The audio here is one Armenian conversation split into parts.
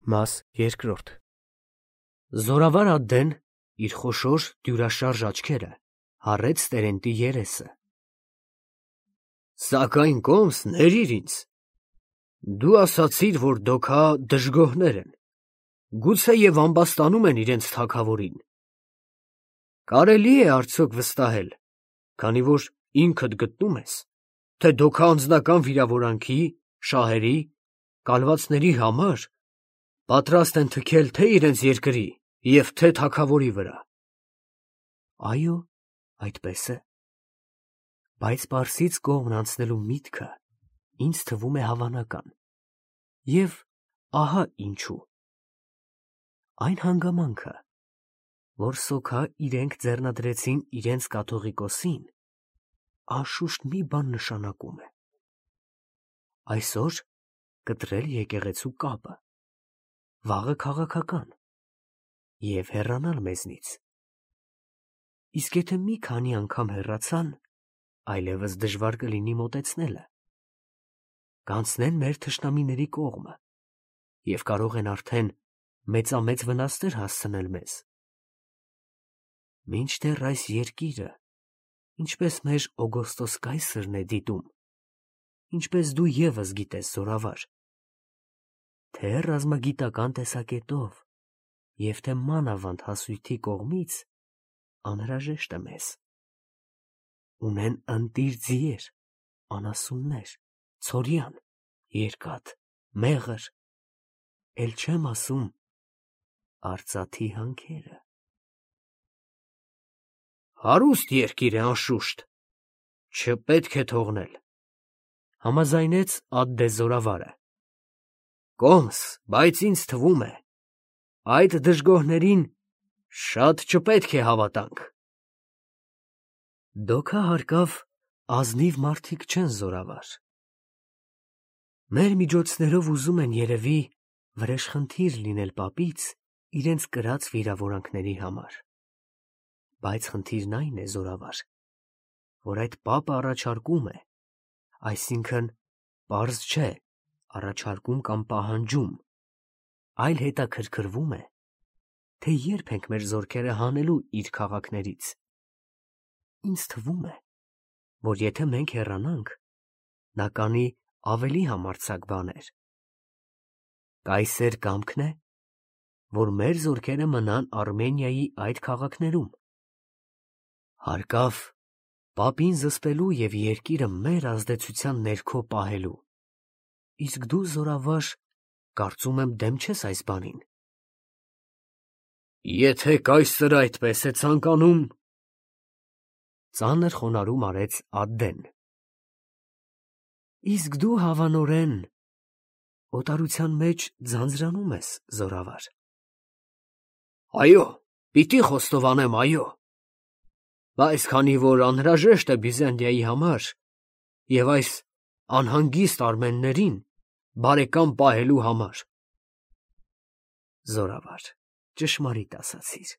Մաս երկրորդ Զորավար Ադդեն իր խոշոր դյուրաշարժ աչքերը հառեց Տերենտի երեսը։ Սակայն կոմս ներիր ինձ, դու ասացիր, որ դոքա դժգոհներ են, գուցեև ամբաստանում են իրենց թագավորին։ Կարելի է արդյոք վստահել, քանի որ ինքդ գտնում ես, թե դոքա անձնական վիրավորանքի, շահերի, կալվածների համար պատրաստ են թքել թե իրենց երկրի և թե թագավորի վրա։ Այո, այդպես է, բայց Պարսից կողմն անցնելու միտքը ինձ թվում է հավանական, և ահա ինչու. այն հանգամանքը, որ սոքա իրենք ձեռնադրեցին իրենց կաթողիկոսին, անշուշտ մի բան նշանակում է. այսօր կտրել եկեղեցու կապը, վաղը քաղաքական և հեռանալ մեզնից, իսկ եթե մի քանի անգամ հեռացան, այլևս դժվար կլինի մոտեցնելը, կանցնեն մեր թշնամիների կողմը և կարող են արդեն մեծամեծ վնասներ հասցնել մեզ։ Մինչդեռ այս երկիրը, ինչպես մեր Օգոստոս կայսրն է դիտում, ինչպես դու ևս գիտես, զորավար, թե ռազմագիտական տեսակետով և թե մանավանդ հասույթի կողմից անհրաժեշտ է մեզ։ Ունեն ընտիր ձիեր, անասուններ, ցորյան, երկաթ, մեղր, էլ չեմ ասում արծաթի հանքերը։ Հարուստ երկիր է անշուշտ, չպետք է թողնել, համաձայնեց Ադդե զորավարը։ Կոմս, բայց ինձ թվում է, այդ դժգոհներին շատ չպետք է հավատանք։ Դոքա հարկավ ազնիվ մարդիկ չեն, զորավար։ Մեր միջոցներով ուզում են երևի վրեժխնդիր լինել պապից իրենց կրած վիրավորանքների համար, բայց խնդիրն այն է, զորավար, որ այդ պապը առաջարկում է, այսինքն պարզ չէ, առաջարկում կամ պահանջում, այլ հետաքրքրվում է, թե երբ ենք մեր զորքերը հանելու իր քաղաքներից։ Ինձ թվում է, որ եթե մենք հեռանանք, նա կանի ավելի համարձակ բաներ։ Կայսեր կամքն է, որ մեր զորքերը մնան Արմենիայի այդ քաղաքներում։ Հարկավ պապին զսպելու և երկիրը մեր ազդեցության ներքո պահելու։ Իսկ դու, զորավար, կարծում եմ դեմ չես այս բանին։ Եթե կայսրը այդպես է ցանկանում, ծանր խոնարհում արեց Ադդեն։ Իսկ դու հավանորեն օտարության մեջ ձանձրանում ես, զորավար։ Այո, պիտի խոստովանեմ, այո, բայց քանի որ անհրաժեշտ է Բիզանդիայի համար և այս անհանգիստ արմեններին բարեկամ պահելու համար։ Զորավար, ճշմարիտ ասացիր,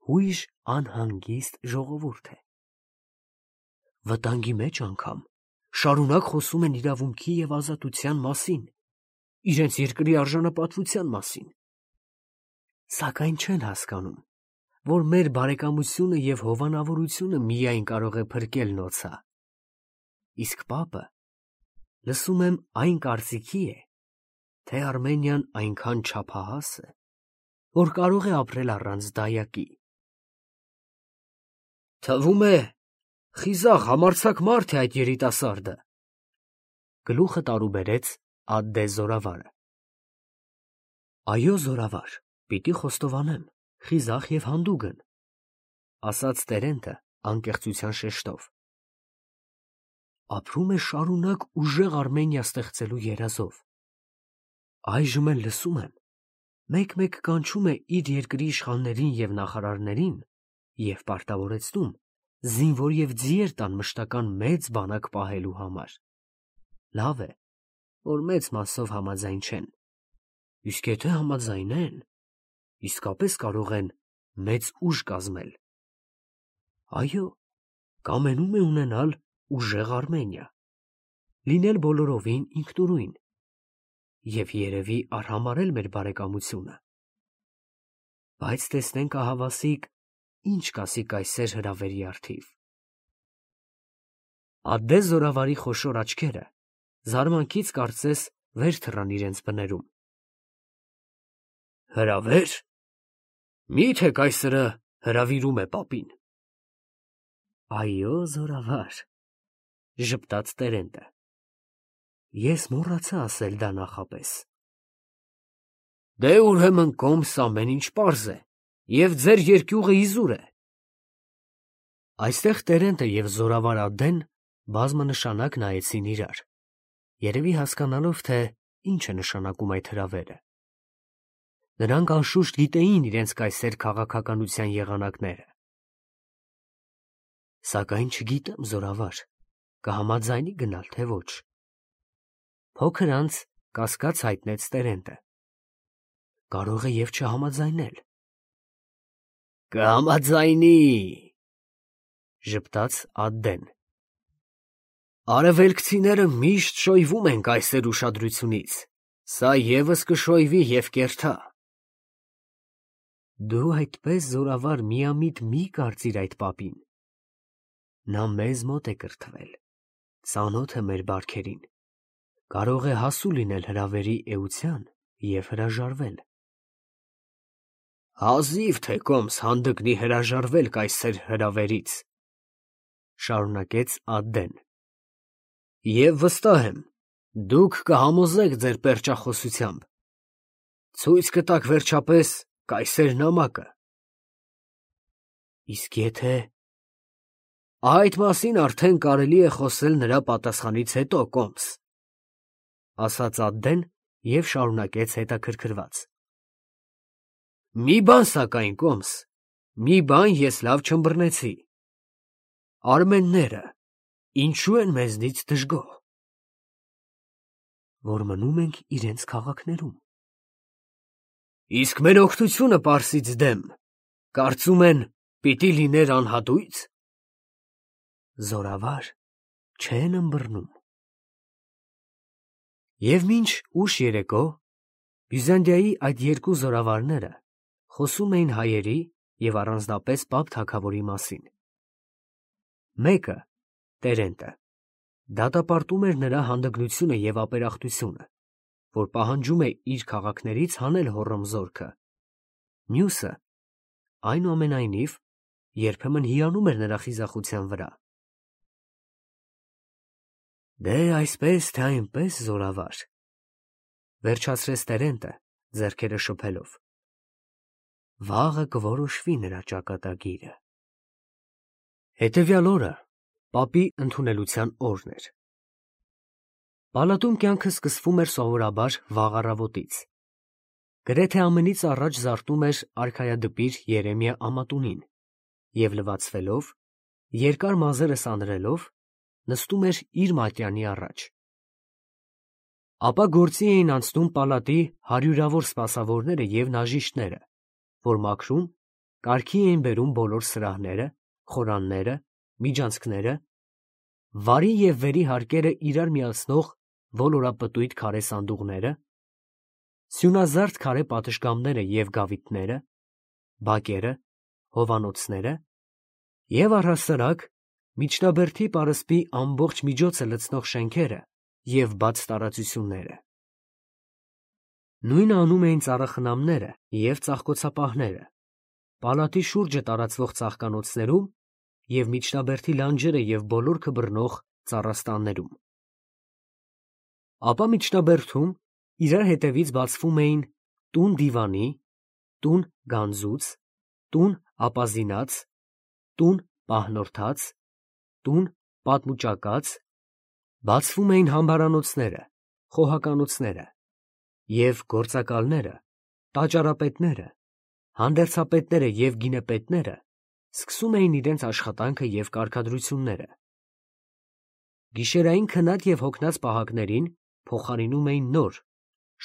հույժ անհանգիստ ժողովուրդ է։ Վտանգի մեջ անգամ շարունակ խոսում են իրավունքի և ազատության մասին, իրենց երկրի արժանապատվության մասին, սակայն չեն հասկանում, որ մեր բարեկամությունը և հովանավորությունը միայն կարող է փրկել նոցա, իսկ պապը, լսում եմ, այն կարծիքի է, թե Արմենիան այնքան չափահաս է, որ կարող է ապրել առանց դայակի։ Թվում է, խիզախ համարձակ մարդ է այդ երիտասարդը, գլուխը տարուբերեց Ադդե զորավարը։ Այո, զորավար, պիտի խոստովանեմ, խիզախ և հանդուգն, ասաց Տերենտը անկեղծության շեշտով։ Ապրում է շարունակ ուժեղ Արմենիա ստեղծելու երազով։ Այժմ էլ լսում եմ, մեկ-մեկ կանչում է իր երկրի իշխաններին և նախարարներին և պարտավորեցնում զինվոր և ձիեր տան մշտական մեծ բանակ պահելու համար։ Լավ է, որ մեծ մասով համաձայն չեն, իսկ եթե համաձայնեն, իսկապես կարող են մեծ ուժ կազմել։ Այո, կամենում է ունենալ ուժեղ Արմենիա, լինել բոլորովին ինքնուրույն, և երևի արհամարհել մեր բարեկամությունը։ Բայց տեսնենք ահավասիկ ինչ կասի կայսեր հրավերի առթիվ։ Ադդե զորավարի խոշոր աչքերը զարմանքից կարծես վեր թռան իրենց բներում։ Հրավեր։ Մի՞թե կայսրը հրավիրում է պապին։ Այո, զորավար, ժպտաց Տերենտը։ Ես մոռացա ասել դա նախապես։ Դե ուրեմն կոմս ամեն ինչ պարզ է, և ձեր երկյուղը իզուր է։ Այստեղ Տերենտը և զորավար Ադդեն բազմանշանակ նայեցին իրար, երևի հասկանալով, թե ինչ է նշանակում այդ հրավերը։ Նրանք անշուշտ գիտեին իրենց կայսեր քաղաքականության եղանակները։ Սակայն չգիտեմ, զորավար, կհամաձայնի գնալ, թե ոչ։ Փոքր անց կասկած հայտնեց Տերենտը։ Կարող է և չհամաձայնել։ Կհամաձայնի, ժպտաց Ադդեն։ Արևելքցիները միշտ շոյվում են կայսեր ուշադրությունից, սա ևս կշոյվի և կերթա։ Դու այդպես զորավար միամիտ մի կարծիր այդ պապին։ Նա մեզ մոտ է կրթվել, ծանոթ է մեր բարքերին, կարող է հասու լինել հրավերի էության և հրաժարվել։ Հազիվ թե կոմս հանդգնի հրաժարվել կայսեր հրավերից, շարունակեց Ադդեն, և վստահ եմ, դուք կհամոզեք ձեր պերճախոսությամբ, ցույց կտաք վերջապես կայսեր նամակը։ Իսկ եթե… Այդ մասին արդեն կարելի է խոսել նրա պատասխանից հետո, կոմս, ասաց Ադդեն և շարունակեց հետաքրքրված. Մի բան սակայն, կոմս, մի բան ես լավ չըմբռնեցի. արմենները ինչու են մեզնից դժգոհ։ Որ մնում ենք իրենց քաղաքներում։ Իսկ մեր օգնությունը Պարսից դեմ, կարծում են, պիտի լիներ անհատույց։ Զորավար, չեն ըմբռնում։ Եվ մինչ ուշ երեկո Բյուզանդիայի այդ երկու զորավարները խոսում էին հայերի և առանձնապես Պապ թագավորի մասին։ Մեկը, Տերենտը, դատապարտում էր նրա հանդգնությունը և ապերախտությունը, որ պահանջում է իր քաղաքներից հանել Հոռոմզորքը։ Մյուսը, այնուամենայնիվ, երբեմն հիանում էր նրա խիզախության վրա։ Դե այսպես թե այնպես, զորավար, վերջացրեց Տերենտը, ձեռքերը շփելով, վաղը կորոշվի նրա ճակատագիրը։ Հետևյալ օրը պապի ընդունելության օրն էր։ Պալատում կյանքը սկսվում էր սովորաբար վաղ առավոտից։ Գրեթե ամենից առաջ զարթնում էր արքայադպիր Երեմիա ամատունին և լվացվելով, երկար մազերը սանրելով, նստում էր իր մատյանի առաջ։ Ապա գործի էին անցնում պալատի հարյուրավոր սպասավորները և նաժիշտները, որ մաքրում, կարգի էին բերում բոլոր սրահները, խորանները, միջանցքները, վարի և վերի հարկերը իրար միացնող ոլորապտույտ քարե սանդուղները, սյունազարդ քարե պատշգամբները և գավիթները, բակերը, հովանոցները և առհասարակ միջնաբերդի պարսպի ամբողջ միջոցը լցնող շենքերը և բաց տարածությունները։ Նույնը անում էին ծառախնամները և ծաղկոցապահները, պալատի շուրջը տարածվող ծաղկանոցներում և միջնաբերդի լանջերը և բոլորքը բռնող ծառաստաններում։ Ապա միջնաբերդում իրար հետևից բացվում էին տուն դիվանի, տուն գանձուց, տուն ապազինած, տուն պահնորդաց, տուն պատմուճակած, բացվում էին համբարանոցները, խոհականոցները, և գործակալները, տաճարապետները, հանդերձապետները և գինեպետները սկսում էին իրենց աշխատանքը և կարգադրությունները։ Գիշերային քնած և հոգնած պահակներին փոխարինում էին նոր,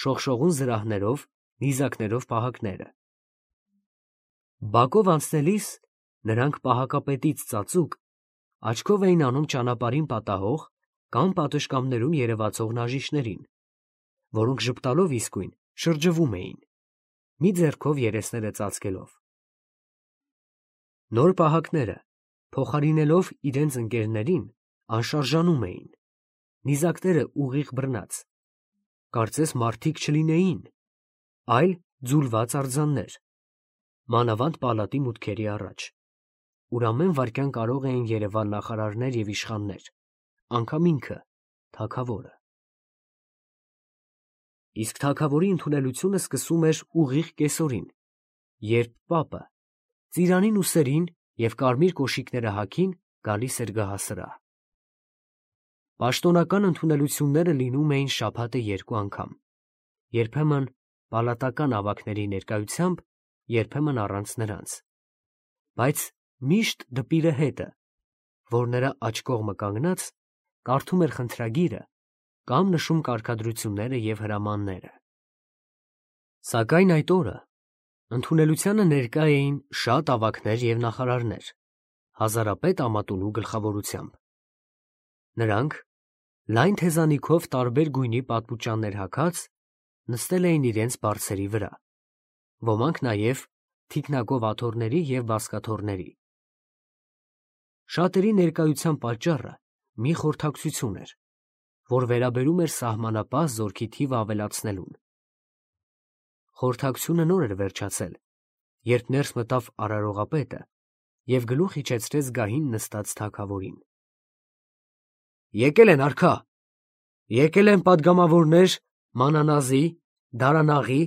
շողշողուն զրահներով, նիզակներով պահակները։ Բակով անցնելիս նրանք պահակապետից ծածուկ աչքով էին անում ճանապարհին պատահող կամ պատշգամբներում երևացող նաժիշտներին, որոնք ժպտալով իսկույն շրջվում էին, մի ձեռքով երեսները ծածկելով։ Նոր պահակները, փոխարինելով իրենց ընկերներին, անշարժանում էին, նիզակները ուղիղ բռնած, կարծես մարդիկ չլինեին, այլ ձուլված արձաններ, մանավանդ պալատի մուտքերի առաջ, ուր ամեն վայրկյան կարող էին երևալ նախարարներ և իշխաններ, անգամ ինքը, թագավորը։ Իսկ թագավորի ընդունելությունը սկսում էր ուղիղ կեսօրին, երբ պապը ծիրանին ուսերին և կարմիր կոշիկները հագին գալիս էր գահասրահ։ Պաշտոնական ընդունելությունները լինում էին շաբաթը 2 անգամ, երբեմն պալատական ավագների ներկայությամբ, երբեմն առանց նրանց, բայց միշտ դպիրը հետը, որ նրա աջ կողմը կանգնած, կարդում էր խնդրագիրը կամ նշում կարգադրությունները և հրամանները։ Սակայն այդ օրը ընդունելությանը ներկա էին շատ ավագներ և նախարարներ, հազարապետ Ամատունու գլխավորությամբ։ Նրանք, լայն թեզանիքով տարբեր գույնի պատմուճաններ հագած, նստել էին իրենց բարձերի վրա, ոմանք նաև թիկնակով աթոռների և բազկաթոռների։ Շատերի ներկայության պատճառը մի խորհրդակցություն էր, որ վերաբերում էր սահմանապահ զորքի թիվը ավելացնելուն։ Խորհրդակցությունը նոր էր վերջացել, երբ ներս մտավ արարողապետը և գլուխ իջեցրեց գահին նստած թագավորին։ «Եկել են, արքա, եկել են պատգամավորներ Մանանազի, Դարանաղի,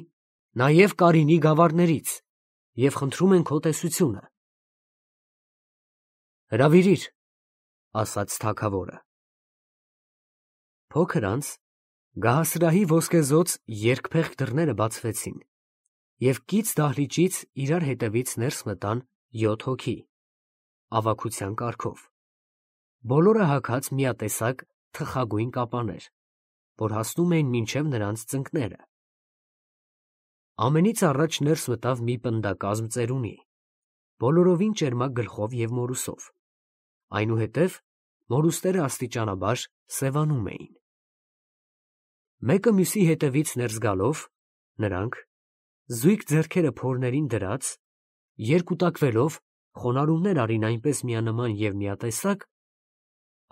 նաև Կարինի գավառներից և խնդրում են քո տեսությունը»։ «Հրավիրիր», ասաց թագավորը։ Փոքր անց գահասրահի ոսկեզօծ երկփեղկ դռները բացվեցին, և կից դահլիճից իրար հետևից ներս մտան 7 հոգի, ավագության կարգով, բոլորը հագած միատեսակ թխագույն կապաներ, որ հասնում էին մինչև նրանց ծնկները։ Ամենից առաջ ներս մտավ մի պնդակազմ ծերունի, բոլորովին ճերմակ գլխով և մորուսով, այնուհետև մորուսները աստիճանաբար սևանում էին։ Մեկը մյուսի հետևից ներս գալով, նրանք, զույգ ձեռքերը փորներին դրած, երկուտակվելով, խոնարհումներ արին այնպես միանման և միատեսակ,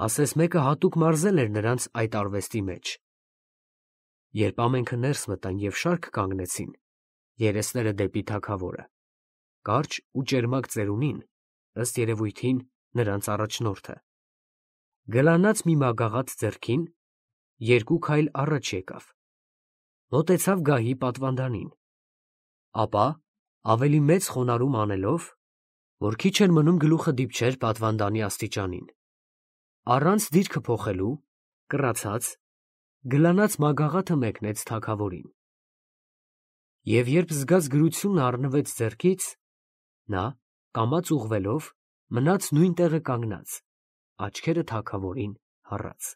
ասես մեկը հատուկ մարզել էր նրանց այդ արվեստի մեջ։ Երբ ամենքը ներս մտան և շարք կանգնեցին, երեսները դեպի թագավորը, կարճ ու ճերմակ ծերունին, ըստ երևույթին, նրանց առաջնորդը, գլանած մի մագաղաթ ձեռքին, 2 քայլ առաջ եկավ, մոտեցավ գահի պատվանդանին, ապա, ավելի մեծ խոնարհում անելով, որ քիչ էր մնում գլուխը դիպչեր պատվանդանի աստիճանին, առանց դիրքը փոխելու, կռացած, գլանած մագաղաթը մեկնեց թագավորին։ Եվ երբ զգացգրությունը առնվեց ձեռքից, նա, կամաց ուղղվելով, մնաց նույն տեղը կանգնած, աչքերը թագավորին հառած։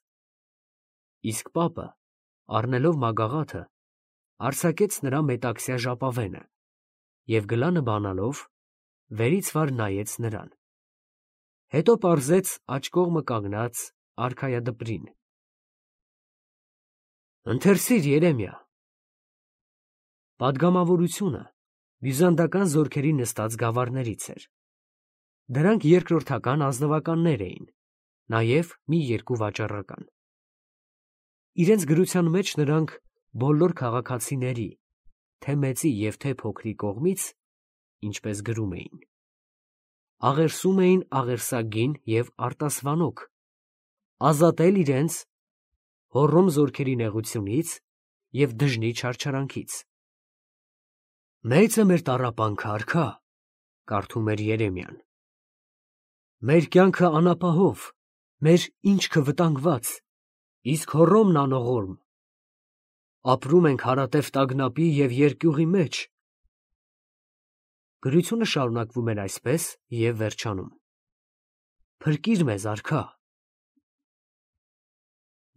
Իսկ պապը, առնելով մագաղաթը, արձակեց նրա մետաքսյա ժապավենը և գլանը բանալով, վերից վար նայեց նրան, հետո պարզեց աջ կողմը կանգնած արքայադպրին. «Ընթերցիր, Երեմիա»։ Պատգամավորությունը բյուզանդական զորքերի նստած գավառներից էր։ Դրանք երկրորդական ազնվականներ էին, նաև մի 2 վաճառական։ Իրենց գրության մեջ նրանք բոլոր քաղաքացիների, թե մեծի և թե փոքրի կողմից, ինչպես գրում էին, աղերսում էին աղերսագին և արտասվանոք, ազատել իրենց հոռոմ զորքերի նեղությունից և դժնի չարչարանքից։ «Մեծ է մեր տառապանքը, արքա», կարդում էր Երեմիան, «մեր կյանքը անապահով, մեր ինչքը վտանգված, իսկ Հոռոմն անողորմ։ Ապրում ենք հարատև տագնապի և երկյուղի մեջ»։ Գրությունը շարունակվում էր այսպես և վերջանում. «Փրկիր մեզ, արքա»։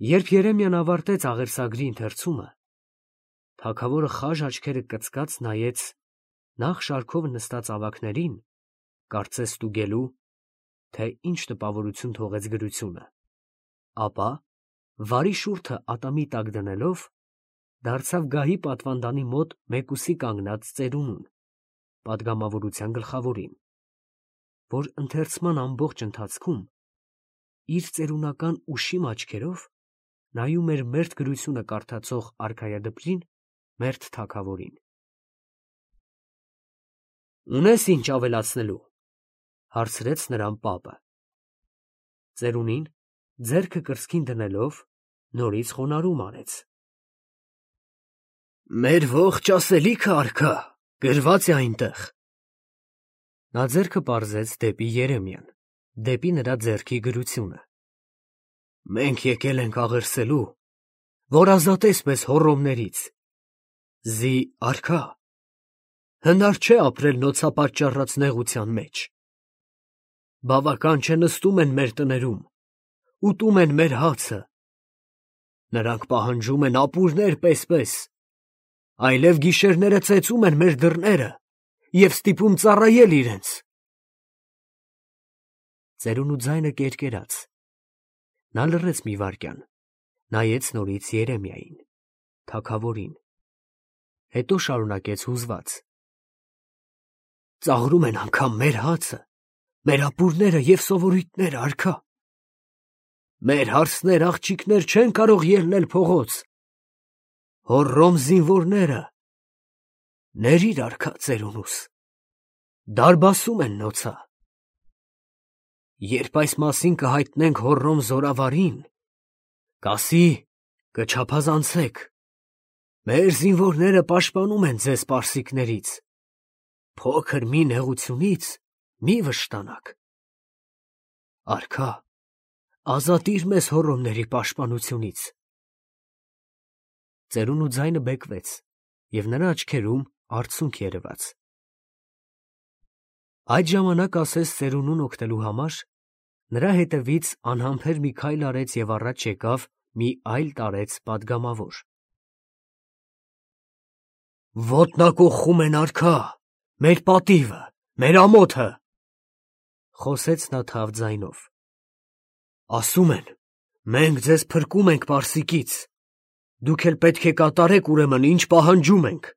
Երբ Երեմիան ավարտեց աղերսագրի ընթերցումը, թագավորը խաժ աչքերը կծկած նայեց նախ շարքով նստած ավագներին, կարծես ստուգելու, թե ինչ տպավորություն թողեց գրությունը, ապա, վարի շուրթը ատամի տակ դնելով, դարձավ գահի պատվանդանի մոտ մեկուսի կանգնած ծերունուն, պատգամավորության գլխավորին, որ ընթերցման ամբողջ ընթացքում իր ծերունական ուշիմ աչքերով նայում էր մերթ գրությունը կարդացող արքայադպրին, մերթ թագավորին։ «Ունես ինչ ավելացնելու», հարցրեց նրան պապը։ Ծերունին, ձեռքը կրծքին դնելով, նորից խոնարհում արեց։ «Մեր ողջ ասելիքը, արքա, գրված է այնտեղ»։ Նա ձեռքը պարզեց դեպի Երեմիան, դեպի նրա ձեռքի գրությունը։ «Մենք եկել ենք աղերսելու, որ ազատես մեզ հոռոմներից։ Զի, արքա, հնար չէ ապրել նոցապատճառած նեղության մեջ։ Բավական չէ նստում են մեր տներում, ուտում են մեր հացը։ Նրանք պահանջում են ապուրներ պես, այլև գիշերները ծեծում են մեր դռները և ստիպում ծառայել իրենց»։ Ծերունու ձայնը կերկերաց։ Նա լռեց մի վայրկյան, նայեց նորից Երեմիային, թագավորին, հետո շարունակեց հուզված. «Ծաղրում են անգամ մեր հացը, մեր ապուրները և սովորույթները, արքա։ Մեր հարսներ, աղջիկներ չեն կարող ելնել փողոց։ Հոռոմ զինվորները, ներիր, արքա, ծերունուս, դարբասում են նոցա։ Երբ այս մասին կհայտնենք հոռոմ զորավարին, կասի, կչափազանցեք, մեր զինվորները պաշտպանում են ձեզ պարսիկներից, փոքր մի նեղությունից մի վշտանաք։ Արքա, ազատիր մեզ հոռոմների պաշտպանությունից»։ Ծերունու ձայնը բեկվեց, և նրա աչքերում արցունք երևաց։ Այդ ժամանակ ասես ծերունուն օգնելու համար, նրա հետևից անհամբեր մի քայլ արեց և առաջ եկավ մի այլ տարեց պատգամավոր։ «Ոտնակոխում են, արքա, մեր պատիվը, մեր ամոթը», խոսեց նա թավ ձայնով։ «Ասում են, մենք ձեզ փրկում ենք պարսիկից, դուք էլ պետք է կատարեք ուրեմն, ինչ պահանջում ենք։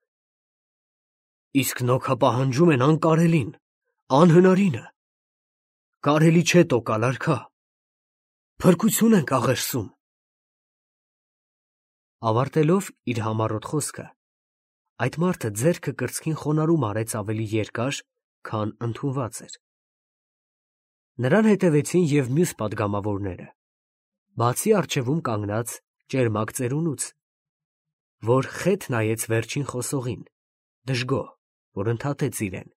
Իսկ նոքա պահանջում են անկարելին, անհնարինը, կարելի չէ տոկալ, արքա, փրկություն ենք աղերսում»։ Ավարտելով իր համառոտ խոսքը, այդ մարդը ձեռքը կրծքին խոնարհում արեց ավելի երկար, քան ընդունված էր։ Նրան հետևեցին և մյուս պատգամավորները, բացի առջևում կանգնած ճերմակ ծերունուց, որ խետ նայեց վերջին խոսողին, դժգոհ, որ ընդհատեց իրեն։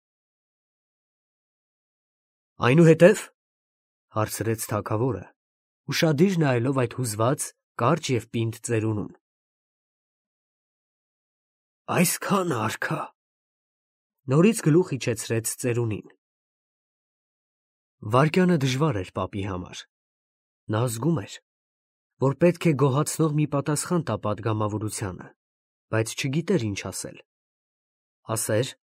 «Այնուհետև, ֊ հարցրեց թագավորը, ուշադիր նայելով այդ հուզված, կարճ և պինդ ծերունուն, ֊ այսքանը, արքա»։ Նորից գլուխ իջեցրեց ծերունին։ Վայրկյանը դժվար էր պապի համար։ Նա զգում էր, որ պետք է գոհացնող մի պատասխան տա պատգամավորությանը, բայց չգիտեր ինչ ասել։ Ասեր,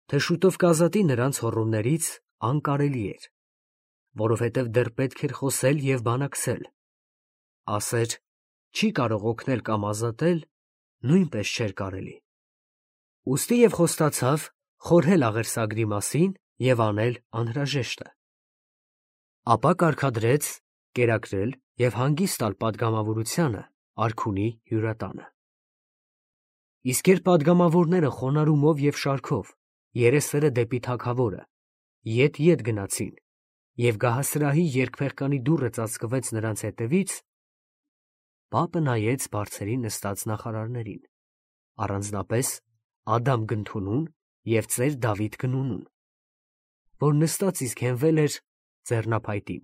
թե շուտով կազատի նրանց հոռոմներից, անկարելի էր, որովհետև դեռ պետք էր խոսել և բանակցել։ Ասեր, չի կարող օգնել կամ ազատել, նույնպես չէր կարելի։ Ուստի և խոստացավ խորհել աղերսագրի մասին և անել անհրաժեշտը։ Ապա կարգադրեց կերակրել և հանգիստ տալ պատգամավորությանը արքունի հյուրատանը։ Իսկ երբ պատգամավորները խոնարհումով և շարքով, երեսները դեպի թագավորը, ետ գնացին, և գահասրահի երկփեղկանի դուռը ծածկվեց նրանց հետևից, պապը նայեց բարձրին նստած նախարարներին, առանձնապես Ադամ Գնթունուն և ծեր Դավիթ Գնունուն, որ նստած իսկ հենվել էր ձեռնափայտին։